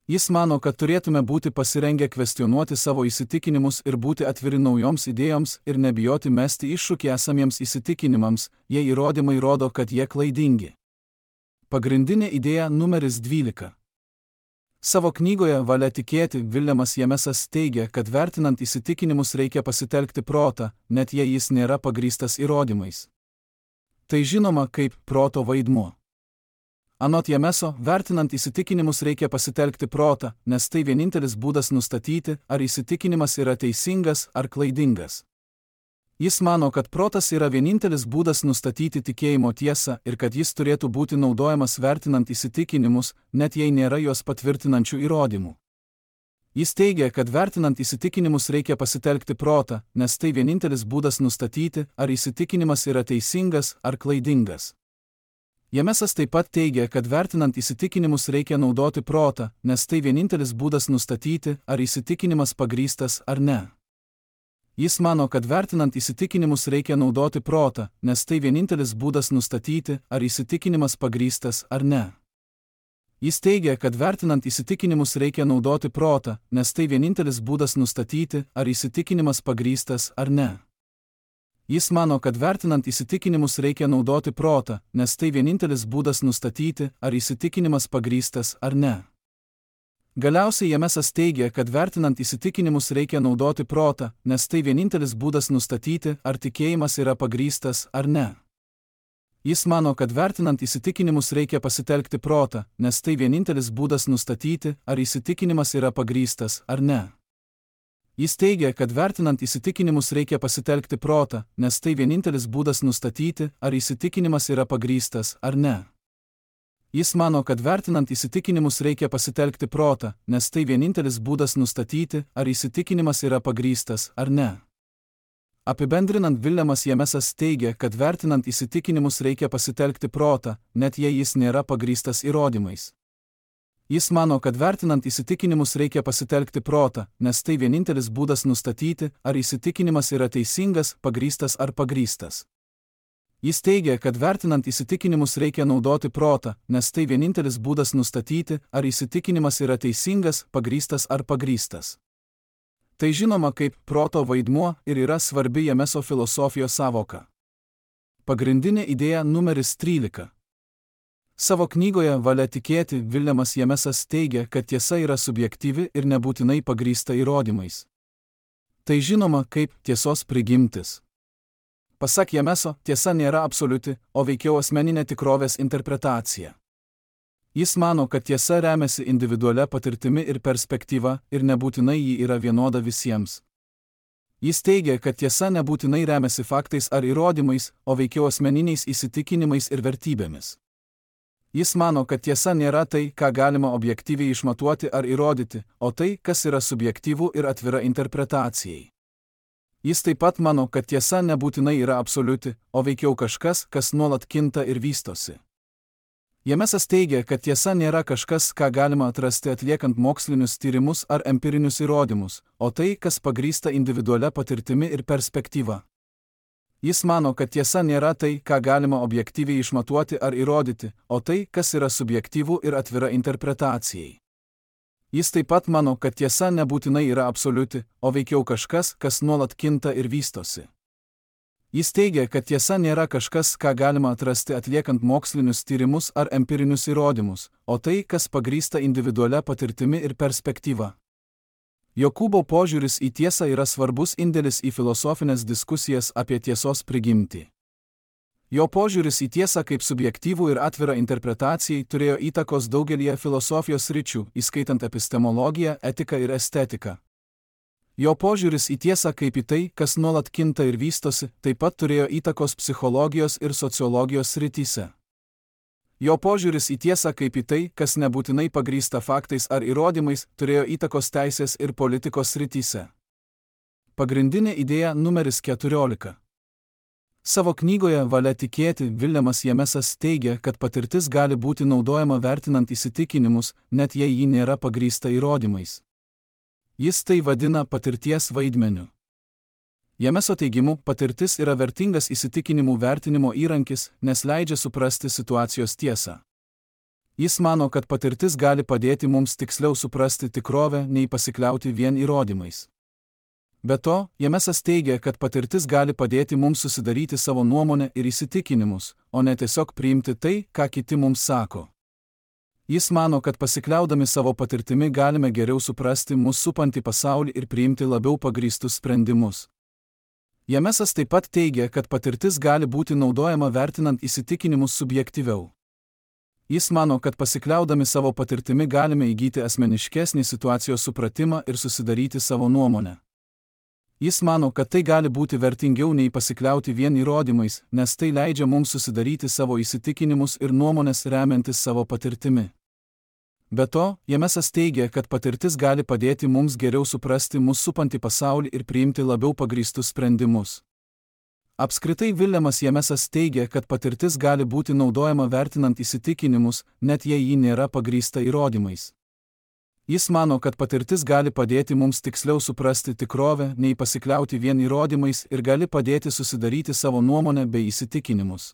Jis mano, kad turėtume būti pasirengę kvestionuoti savo įsitikinimus ir būti atviri naujoms idėjoms ir nebijoti mesti iššūkį esamiems įsitikinimams, jei įrodymai rodo, kad jie klaidingi. Pagrindinė idėja numeris dvylika. Savo knygoje Valia tikėti Viljamas Jamesas teigia, kad vertinant įsitikinimus reikia pasitelkti protą, net jei jis nėra pagrįstas įrodymais. Tai žinoma kaip proto vaidmuo. Anot Jameso, vertinant įsitikinimus reikia pasitelkti protą, nes tai vienintelis būdas nustatyti, ar įsitikinimas yra teisingas ar klaidingas. Jis mano, kad protas yra vienintelis būdas nustatyti tikėjimo tiesą ir kad jis turėtų būti naudojamas vertinant įsitikinimus, net jei nėra juos patvirtinančių įrodymų. Jis teigia, kad vertinant įsitikinimus reikia pasitelkti protą, nes tai vienintelis būdas nustatyti, ar įsitikinimas yra teisingas ar klaidingas. Jamesas taip pat teigia, kad vertinant įsitikinimus reikia naudoti protą, nes tai vienintelis būdas nustatyti, ar įsitikinimas pagrįstas ar ne. Jis mano, kad vertinant įsitikinimus reikia naudoti protą, nes tai vienintelis būdas nustatyti, ar įsitikinimas pagrįstas ar ne. Jis teigia, kad vertinant įsitikinimus reikia naudoti protą, nes tai vienintelis būdas nustatyti, ar įsitikinimas pagrįstas ar ne. Jis mano, kad vertinant įsitikinimus reikia naudoti protą, nes tai vienintelis būdas nustatyti, ar įsitikinimas pagrįstas ar ne. Galiausiai Jamesas teigia, kad vertinant įsitikinimus reikia naudoti protą, nes tai vienintelis būdas nustatyti, ar tikėjimas yra pagrįstas ar ne. Jis mano, kad vertinant įsitikinimus reikia pasitelkti protą, nes tai vienintelis būdas nustatyti, ar įsitikinimas yra pagrįstas ar ne. Jis teigia, kad vertinant įsitikinimus reikia pasitelkti protą, nes tai vienintelis būdas nustatyti, ar įsitikinimas yra pagrįstas ar ne. Jis mano, kad vertinant įsitikinimus reikia pasitelkti protą, nes tai vienintelis būdas nustatyti, ar įsitikinimas yra pagrįstas ar ne. Apibendrinant, Viljamas Jamesas teigia, kad vertinant įsitikinimus reikia pasitelkti protą, net jei jis nėra pagrįstas įrodymais. Jis mano, kad vertinant įsitikinimus reikia pasitelkti protą, nes tai vienintelis būdas nustatyti, ar įsitikinimas yra teisingas, pagrįstas ar pagrįstas. Jis teigia, kad vertinant įsitikinimus reikia naudoti protą, nes tai vienintelis būdas nustatyti, ar įsitikinimas yra teisingas, pagrįstas ar pagrįstas. Tai žinoma kaip proto vaidmuo ir yra svarbi Jameso filosofijos sąvoka. Pagrindinė idėja numeris trylika. Savo knygoje Valia tikėti Viljamas Jamesas teigia, kad tiesa yra subjektyvi ir nebūtinai pagrįsta įrodymais. Tai žinoma kaip tiesos prigimtis. Pasak Jameso, tiesa nėra absoliuti, o veikiau asmeninė tikrovės interpretacija. Jis mano, kad tiesa remiasi individualia patirtimi ir perspektyva ir nebūtinai ji yra vienoda visiems. Jis teigia, kad tiesa nebūtinai remiasi faktais ar įrodymais, o veikiau asmeniniais įsitikinimais ir vertybėmis. Jis mano, kad tiesa nėra tai, ką galima objektyviai išmatuoti ar įrodyti, o tai, kas yra subjektyvu ir atvira interpretacijai. Jis taip pat mano, kad tiesa nebūtinai yra absoliuti, o veikiau kažkas, kas nuolat kinta ir vystosi. Jamesas teigia, kad tiesa nėra kažkas, ką galima atrasti atliekant mokslinius tyrimus ar empirinius įrodymus, o tai, kas pagrįsta individualia patirtimi ir perspektyva. Jis mano, kad tiesa nėra tai, ką galima objektyviai išmatuoti ar įrodyti, o tai, kas yra subjektyvu ir atvira interpretacijai. Jis taip pat mano, kad tiesa nebūtinai yra absoliuti, o veikiau kažkas, kas nuolat kinta ir vystosi. Jis teigia, kad tiesa nėra kažkas, ką galima atrasti atliekant mokslinius tyrimus ar empirinius įrodymus, o tai, kas pagrįsta individualia patirtimi ir perspektyva. Jokūbo požiūris į tiesą yra svarbus indėlis į filosofinės diskusijas apie tiesos prigimtį. Jo požiūris į tiesą kaip subjektyvų ir atvirą interpretacijai turėjo įtakos daugelyje filosofijos sričių, įskaitant epistemologiją, etiką ir estetiką. Jo požiūris į tiesą kaip į tai, kas nuolat kinta ir vystosi, taip pat turėjo įtakos psichologijos ir sociologijos srityse. Jo požiūris į tiesą kaip į tai, kas nebūtinai pagrįsta faktais ar įrodymais, turėjo įtakos teisės ir politikos srityse. Pagrindinė idėja numeris keturiolika. Savo knygoje Valia tikėti Viljamas Jamesas teigia, kad patirtis gali būti naudojama vertinant įsitikinimus, net jei ji nėra pagrįsta įrodymais. Jis tai vadina patirties vaidmeniu. Jameso teigimu, patirtis yra vertingas įsitikinimų vertinimo įrankis, nes leidžia suprasti situacijos tiesą. Jis mano, kad patirtis gali padėti mums tiksliau suprasti tikrovę, nei pasikliauti vien įrodymais. Be to, Jamesas teigia, kad patirtis gali padėti mums susidaryti savo nuomonę ir įsitikinimus, o ne tiesiog priimti tai, ką kiti mums sako. Jis mano, kad pasikliaudami savo patirtimi galime geriau suprasti mus supantį pasaulį ir priimti labiau pagrįstus sprendimus. Jamesas taip pat teigia, kad patirtis gali būti naudojama vertinant įsitikinimus subjektyviau. Jis mano, kad pasikliaudami savo patirtimi galime įgyti asmeniškesnį situacijos supratimą ir susidaryti savo nuomonę. Jis mano, kad tai gali būti vertingiau nei pasikliauti vien įrodymais, nes tai leidžia mums susidaryti savo įsitikinimus ir nuomonės remiantis savo patirtimi. Be to, Jamesas teigia, kad patirtis gali padėti mums geriau suprasti mus supantį pasaulį ir priimti labiau pagrįstus sprendimus. Apskritai Viljamas Jamesas teigia, kad patirtis gali būti naudojama vertinant įsitikinimus, net jei ji nėra pagrįsta įrodymais. Jis mano, kad patirtis gali padėti mums tiksliau suprasti tikrovę, nei pasikliauti vien įrodymais ir gali padėti susidaryti savo nuomonę bei įsitikinimus.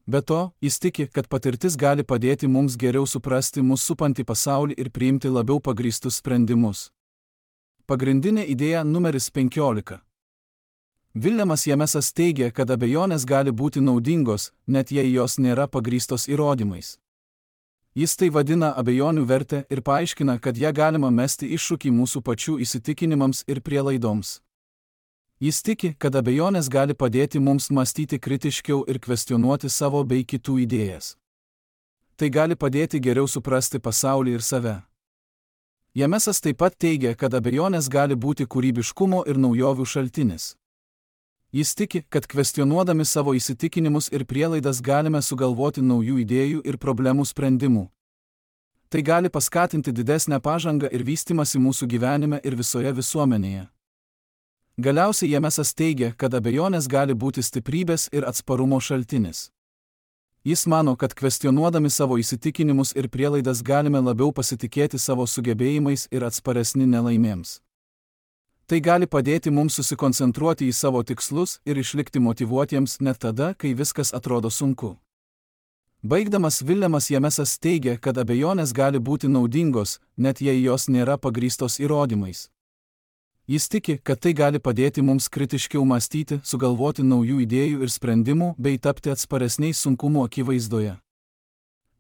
Be to, jis tiki, kad patirtis gali padėti mums geriau suprasti mus supantį pasaulį ir priimti labiau pagrįstus sprendimus. Pagrindinė idėja numeris penkiolika. Viljamas Jamesas teigia, kad abejonės gali būti naudingos, net jei jos nėra pagrįstos įrodymais. Jis tai vadina abejonių vertę ir paaiškina, kad ją galima mesti iššūkį mūsų pačių įsitikinimams ir prielaidoms. Jis tiki, kad abejonės gali padėti mums mąstyti kritiškiau ir kvestionuoti savo bei kitų idėjas. Tai gali padėti geriau suprasti pasaulį ir save. Jamesas taip pat teigia, kad abejonės gali būti kūrybiškumo ir naujovių šaltinis. Jis tiki, kad kvestionuodami savo įsitikinimus ir prielaidas galime sugalvoti naujų idėjų ir problemų sprendimų. Tai gali paskatinti didesnę pažangą ir vystymąsi mūsų gyvenime ir visoje visuomenėje. Galiausiai Jamesas teigia, kad abejonės gali būti stiprybės ir atsparumo šaltinis. Jis mano, kad kvestionuodami savo įsitikinimus ir prielaidas galime labiau pasitikėti savo sugebėjimais ir atsparesni nelaimėms. Tai gali padėti mums susikoncentruoti į savo tikslus ir išlikti motyvuotiems net tada, kai viskas atrodo sunku. Baigdamas Viljamas Jamesas teigia, kad abejonės gali būti naudingos, net jei jos nėra pagrįstos įrodymais. Jis tiki, kad tai gali padėti mums kritiškiau mąstyti, sugalvoti naujų idėjų ir sprendimų bei tapti atsparesniais sunkumų akivaizdoje.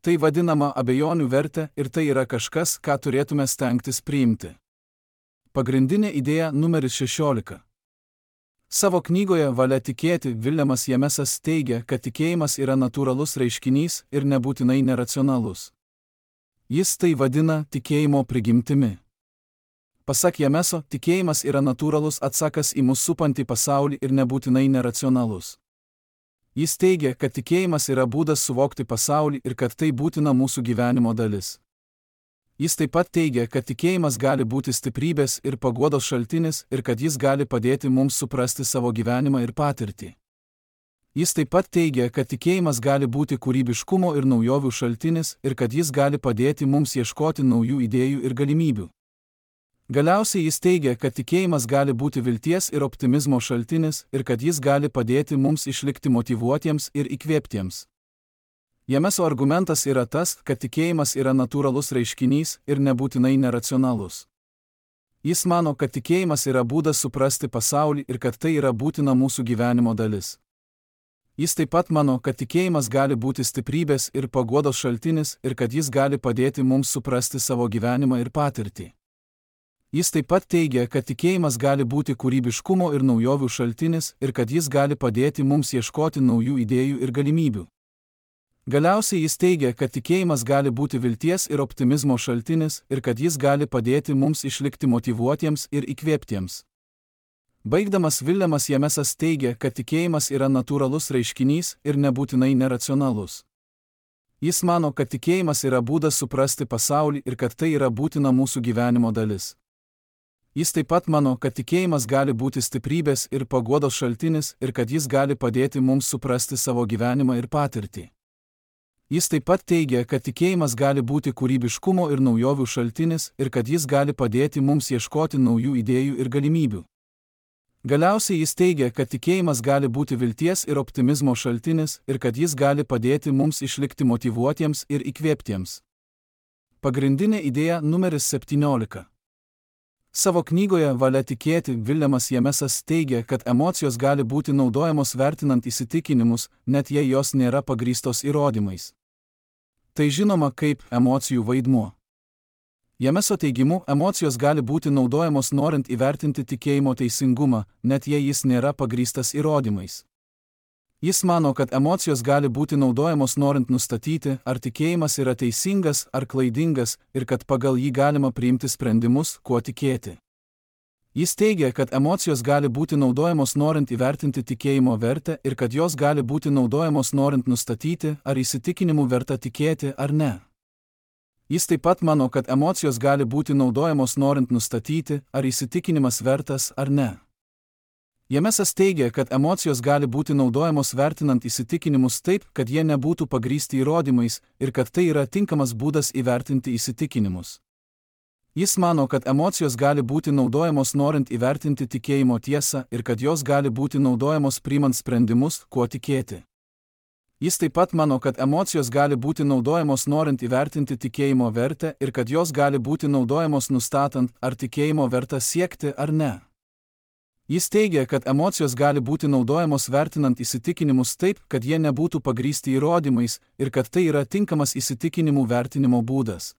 Tai vadinama abejonių vertė ir tai yra kažkas, ką turėtume stengtis priimti. Pagrindinė idėja numeris šešiolika. Savo knygoje Valia tikėti Viljamas Jamesas teigia, kad tikėjimas yra natūralus reiškinys ir nebūtinai neracionalus. Jis tai vadina tikėjimo prigimtimi. Pasak Jameso, tikėjimas yra natūralus atsakas į mus supantį pasaulį ir nebūtinai neracionalus. Jis teigia, kad tikėjimas yra būdas suvokti pasaulį ir kad tai būtina mūsų gyvenimo dalis. Jis taip pat teigia, kad tikėjimas gali būti stiprybės ir paguodos šaltinis ir kad jis gali padėti mums suprasti savo gyvenimą ir patirtį. Jis taip pat teigia, kad tikėjimas gali būti kūrybiškumo ir naujovių šaltinis ir kad jis gali padėti mums ieškoti naujų idėjų ir galimybių. Galiausiai jis teigia, kad tikėjimas gali būti vilties ir optimizmo šaltinis ir kad jis gali padėti mums išlikti motyvuotiems ir įkvėptiems. Jameso argumentas yra tas, kad tikėjimas yra natūralus reiškinys ir nebūtinai neracionalus. Jis mano, kad tikėjimas yra būdas suprasti pasaulį ir kad tai yra būtina mūsų gyvenimo dalis. Jis taip pat mano, kad tikėjimas gali būti stiprybės ir paguodos šaltinis ir kad jis gali padėti mums suprasti savo gyvenimą ir patirtį. Jis taip pat teigia, kad tikėjimas gali būti kūrybiškumo ir naujovių šaltinis ir kad jis gali padėti mums ieškoti naujų idėjų ir galimybių. Galiausiai jis teigia, kad tikėjimas gali būti vilties ir optimizmo šaltinis ir kad jis gali padėti mums išlikti motyvuotiems ir įkvėptiems. Baigdamas Viljamas Jamesas teigia, kad tikėjimas yra natūralus reiškinys ir nebūtinai neracionalus. Jis mano, kad tikėjimas yra būdas suprasti pasaulį ir kad tai yra būtina mūsų gyvenimo dalis. Jis taip pat mano, kad tikėjimas gali būti stiprybės ir paguodos šaltinis ir kad jis gali padėti mums suprasti savo gyvenimą ir patirtį. Jis taip pat teigia, kad tikėjimas gali būti kūrybiškumo ir naujovių šaltinis ir kad jis gali padėti mums ieškoti naujų idėjų ir galimybių. Galiausiai jis teigia, kad tikėjimas gali būti vilties ir optimizmo šaltinis ir kad jis gali padėti mums išlikti motyvuotiems ir įkvėptiems. Pagrindinė idėja numeris septyniolika. Savo knygoje Valia tikėti Viljamas Jamesas teigia, kad emocijos gali būti naudojamos vertinant įsitikinimus, net jei jos nėra pagrįstos įrodymais. Tai žinoma kaip emocijų vaidmuo. Jameso teigimu, emocijos gali būti naudojamos norint įvertinti tikėjimo teisingumą, net jei jis nėra pagrįstas įrodymais. Jis mano, kad emocijos gali būti naudojamos norint nustatyti, ar tikėjimas yra teisingas ar klaidingas ir kad pagal jį galima priimti sprendimus, kuo tikėti. Jis teigia, kad emocijos gali būti naudojamos norint įvertinti tikėjimo vertę ir kad jos gali būti naudojamos norint nustatyti, ar įsitikinimų verta tikėti ar ne. Jis taip pat mano, kad emocijos gali būti naudojamos norint nustatyti, ar įsitikinimas vertas ar ne. Jamesas teigia, kad emocijos gali būti naudojamos vertinant įsitikinimus taip, kad jie nebūtų pagrįsti įrodymais ir kad tai yra tinkamas būdas įvertinti įsitikinimus. Jis mano, kad emocijos gali būti naudojamos norint įvertinti tikėjimo tiesą ir kad jos gali būti naudojamos priimant sprendimus, kuo tikėti. Jis taip pat mano, kad emocijos gali būti naudojamos norint įvertinti tikėjimo vertę ir kad jos gali būti naudojamos nustatant, ar tikėjimo verta siekti ar ne. Jis teigia, kad emocijos gali būti naudojamos vertinant įsitikinimus taip, kad jie nebūtų pagrįsti įrodymais ir kad tai yra tinkamas įsitikinimų vertinimo būdas.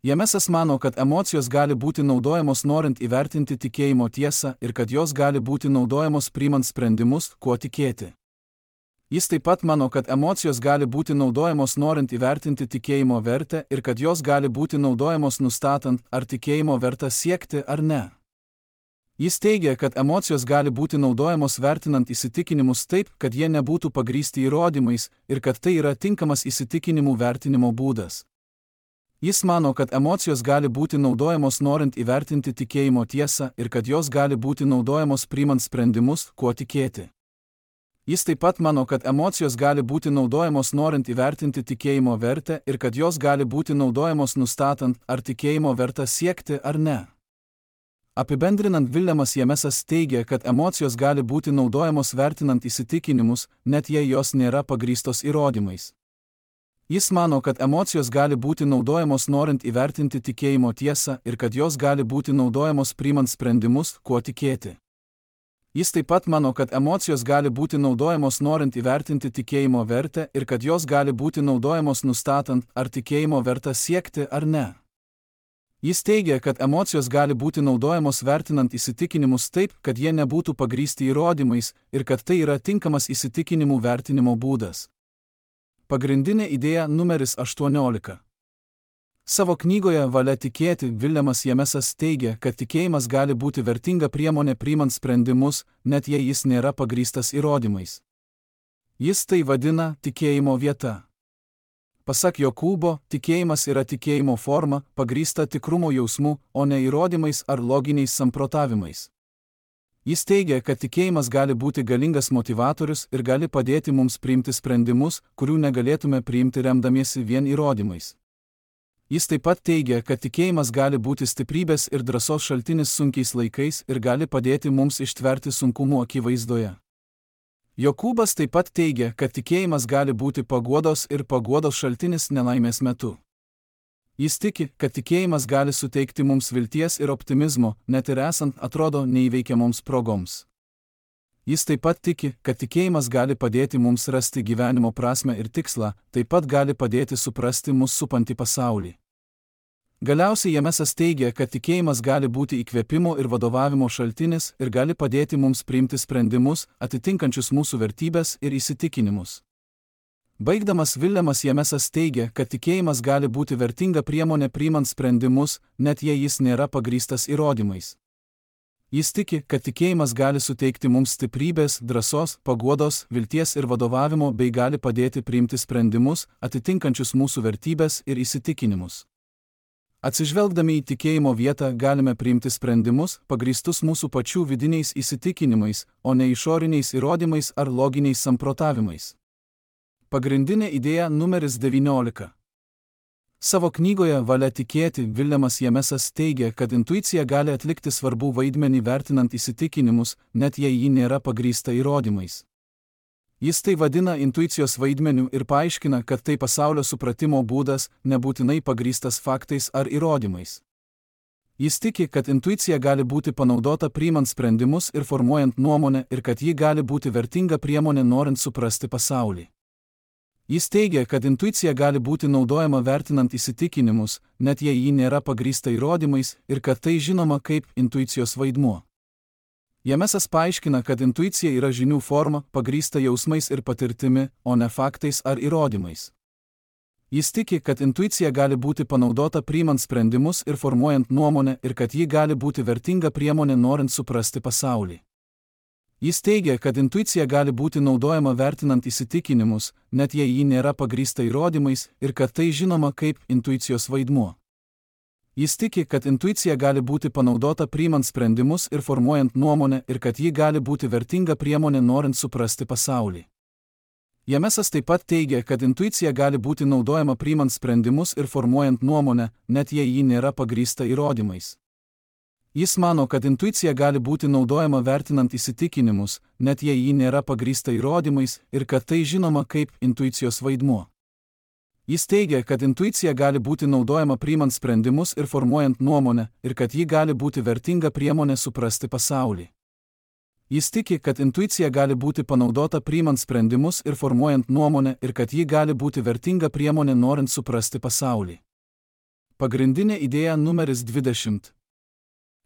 Jamesas mano, kad emocijos gali būti naudojamos norint įvertinti tikėjimo tiesą ir kad jos gali būti naudojamos priimant sprendimus, kuo tikėti. Jis taip pat mano, kad emocijos gali būti naudojamos norint įvertinti tikėjimo vertę ir kad jos gali būti naudojamos nustatant, ar tikėjimo verta siekti ar ne. Jis teigia, kad emocijos gali būti naudojamos vertinant įsitikinimus taip, kad jie nebūtų pagrįsti įrodymais ir kad tai yra tinkamas įsitikinimų vertinimo būdas. Jis mano, kad emocijos gali būti naudojamos norint įvertinti tikėjimo tiesą ir kad jos gali būti naudojamos priimant sprendimus, kuo tikėti. Jis taip pat mano, kad emocijos gali būti naudojamos norint įvertinti tikėjimo vertę ir kad jos gali būti naudojamos nustatant, ar tikėjimo verta siekti ar ne. Apibendrinant, Viljamas Jamesas teigia, kad emocijos gali būti naudojamos vertinant įsitikinimus, net jei jos nėra pagrįstos įrodymais. Jis mano, kad emocijos gali būti naudojamos norint įvertinti tikėjimo tiesą ir kad jos gali būti naudojamos priimant sprendimus, kuo tikėti. Jis taip pat mano, kad emocijos gali būti naudojamos norint įvertinti tikėjimo vertę ir kad jos gali būti naudojamos nustatant, ar tikėjimo verta siekti ar ne. Jis teigia, kad emocijos gali būti naudojamos vertinant įsitikinimus taip, kad jie nebūtų pagrįsti įrodymais ir kad tai yra tinkamas įsitikinimų vertinimo būdas. Pagrindinė idėja numeris aštuoniolika. Savo knygoje Valia tikėti Viljamas Jamesas teigia, kad tikėjimas gali būti vertinga priemonė priimant sprendimus, net jei jis nėra pagrįstas įrodymais. Jis tai vadina tikėjimo vieta. Pasak Jokūbo, tikėjimas yra tikėjimo forma, pagrįsta tikrumo jausmu, o ne įrodymais ar loginiais samprotavimais. Jis teigia, kad tikėjimas gali būti galingas motivatorius ir gali padėti mums priimti sprendimus, kurių negalėtume priimti remdamiesi vien įrodymais. Jis taip pat teigia, kad tikėjimas gali būti stiprybės ir drąsos šaltinis sunkiais laikais ir gali padėti mums ištverti sunkumų akivaizdoje. Jokūbas taip pat teigia, kad tikėjimas gali būti paguodos ir paguodos šaltinis nelaimės metu. Jis tiki, kad tikėjimas gali suteikti mums vilties ir optimizmo, net ir esant atrodo neįveikiamoms progoms. Jis taip pat tiki, kad tikėjimas gali padėti mums rasti gyvenimo prasmę ir tikslą, taip pat gali padėti suprasti mus supantį pasaulį. Galiausiai Jamesas teigia, kad tikėjimas gali būti įkvėpimo ir vadovavimo šaltinis ir gali padėti mums priimti sprendimus, atitinkančius mūsų vertybės ir įsitikinimus. Baigdamas Viljamas Jamesas teigia, kad tikėjimas gali būti vertinga priemonė priimant sprendimus, net jei jis nėra pagrįstas įrodymais. Jis tiki, kad tikėjimas gali suteikti mums stiprybės, drąsos, paguodos, vilties ir vadovavimo bei gali padėti priimti sprendimus, atitinkančius mūsų vertybės ir įsitikinimus. Atsižvelgdami į tikėjimo vietą galime priimti sprendimus, pagrįstus mūsų pačių vidiniais įsitikinimais, o ne išoriniais įrodymais ar loginiais samprotavimais. Pagrindinė idėja numeris devyniolika. Savo knygoje Valia tikėti Viljamas Jamesas teigia, kad intuicija gali atlikti svarbų vaidmenį vertinant įsitikinimus, net jei ji nėra pagrįsta įrodymais. Jis tai vadina intuicijos vaidmeniu ir paaiškina, kad tai pasaulio supratimo būdas, nebūtinai pagrįstas faktais ar įrodymais. Jis tiki, kad intuicija gali būti panaudota priimant sprendimus ir formuojant nuomonę ir kad ji gali būti vertinga priemonė norint suprasti pasaulį. Jis teigia, kad intuicija gali būti naudojama vertinant įsitikinimus, net jei ji nėra pagrįsta įrodymais ir kad tai žinoma kaip intuicijos vaidmuo. Jamesas paaiškina, kad intuicija yra žinių forma, pagrįsta jausmais ir patirtimi, o ne faktais ar įrodymais. Jis tiki, kad intuicija gali būti panaudota priimant sprendimus ir formuojant nuomonę ir kad ji gali būti vertinga priemonė norint suprasti pasaulį. Jis teigia, kad intuicija gali būti naudojama vertinant įsitikinimus, net jei ji nėra pagrįsta įrodymais ir kad tai žinoma kaip intuicijos vaidmuo. Jis tiki, kad intuicija gali būti panaudota priimant sprendimus ir formuojant nuomonę ir kad ji gali būti vertinga priemonė norint suprasti pasaulį. Jamesas taip pat teigia, kad intuicija gali būti naudojama priimant sprendimus ir formuojant nuomonę, net jei ji nėra pagrįsta įrodymais. Jis mano, kad intuicija gali būti naudojama vertinant įsitikinimus, net jei ji nėra pagrįsta įrodymais ir kad tai žinoma kaip intuicijos vaidmuo. Jis teigia, kad intuicija gali būti naudojama priimant sprendimus ir formuojant nuomonę ir kad ji gali būti vertinga priemonė suprasti pasaulį. Jis tiki, kad intuicija gali būti panaudota priimant sprendimus ir formuojant nuomonę ir kad ji gali būti vertinga priemonė norint suprasti pasaulį. Pagrindinė idėja numeris dvidešimt.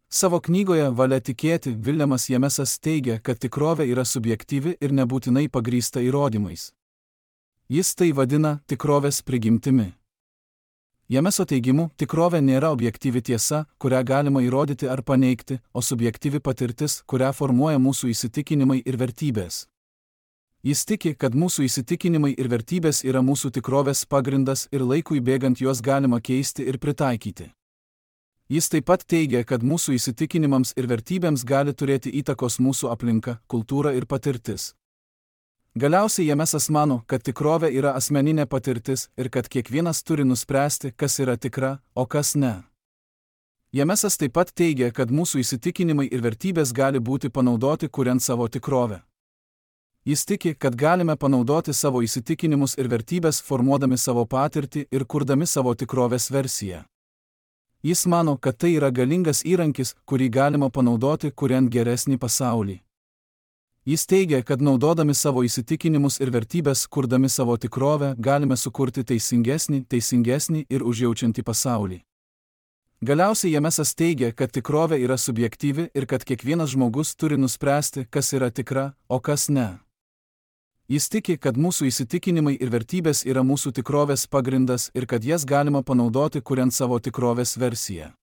Savo knygoje Valia tikėti Viljamas Jamesas teigia, kad tikrovė yra subjektyvi ir nebūtinai pagrįsta įrodymais. Jis tai vadina tikrovės prigimtimi. Jameso teigimu, tikrovė nėra objektyvi tiesa, kurią galima įrodyti ar paneigti, o subjektyvi patirtis, kurią formuoja mūsų įsitikinimai ir vertybės. Jis tiki, kad mūsų įsitikinimai ir vertybės yra mūsų tikrovės pagrindas ir laikui bėgant juos galima keisti ir pritaikyti. Jis taip pat teigia, kad mūsų įsitikinimams ir vertybėms gali turėti įtakos mūsų aplinka, kultūra ir patirtis. Galiausiai Jamesas mano, kad tikrovė yra asmeninė patirtis ir kad kiekvienas turi nuspręsti, kas yra tikra, o kas ne. Jamesas taip pat teigia, kad mūsų įsitikinimai ir vertybės gali būti panaudoti kuriant savo tikrovę. Jis tiki, kad galime panaudoti savo įsitikinimus ir vertybės formuodami savo patirtį ir kurdami savo tikrovės versiją. Jis mano, kad tai yra galingas įrankis, kurį galima panaudoti kuriant geresnį pasaulį. Jis teigia, kad naudodami savo įsitikinimus ir vertybės, kurdami savo tikrovę, galime sukurti teisingesnį, teisingesnį ir užjaučiantį pasaulį. Galiausiai Jamesas teigia, kad tikrovė yra subjektyvi ir kad kiekvienas žmogus turi nuspręsti, kas yra tikra, o kas ne. Jis tiki, kad mūsų įsitikinimai ir vertybės yra mūsų tikrovės pagrindas ir kad jas galima panaudoti kuriant savo tikrovės versiją.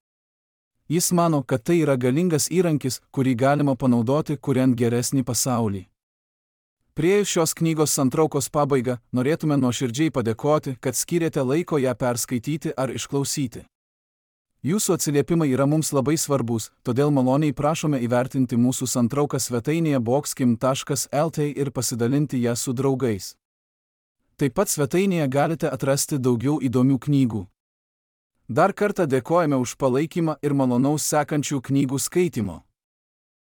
Jis mano, kad tai yra galingas įrankis, kurį galima panaudoti kuriant geresnį pasaulį. Priėjus šios knygos santraukos pabaigą, norėtume nuoširdžiai padėkoti, kad skyrėte laiko ją perskaityti ar išklausyti. Jūsų atsiliepimai yra mums labai svarbus, todėl maloniai prašome įvertinti mūsų santrauką svetainėje boxkim taškas el t ir pasidalinti ją su draugais. Taip pat svetainėje galite atrasti daugiau įdomių knygų. Dar kartą dėkojame už palaikymą ir malonaus sekančių knygų skaitimo.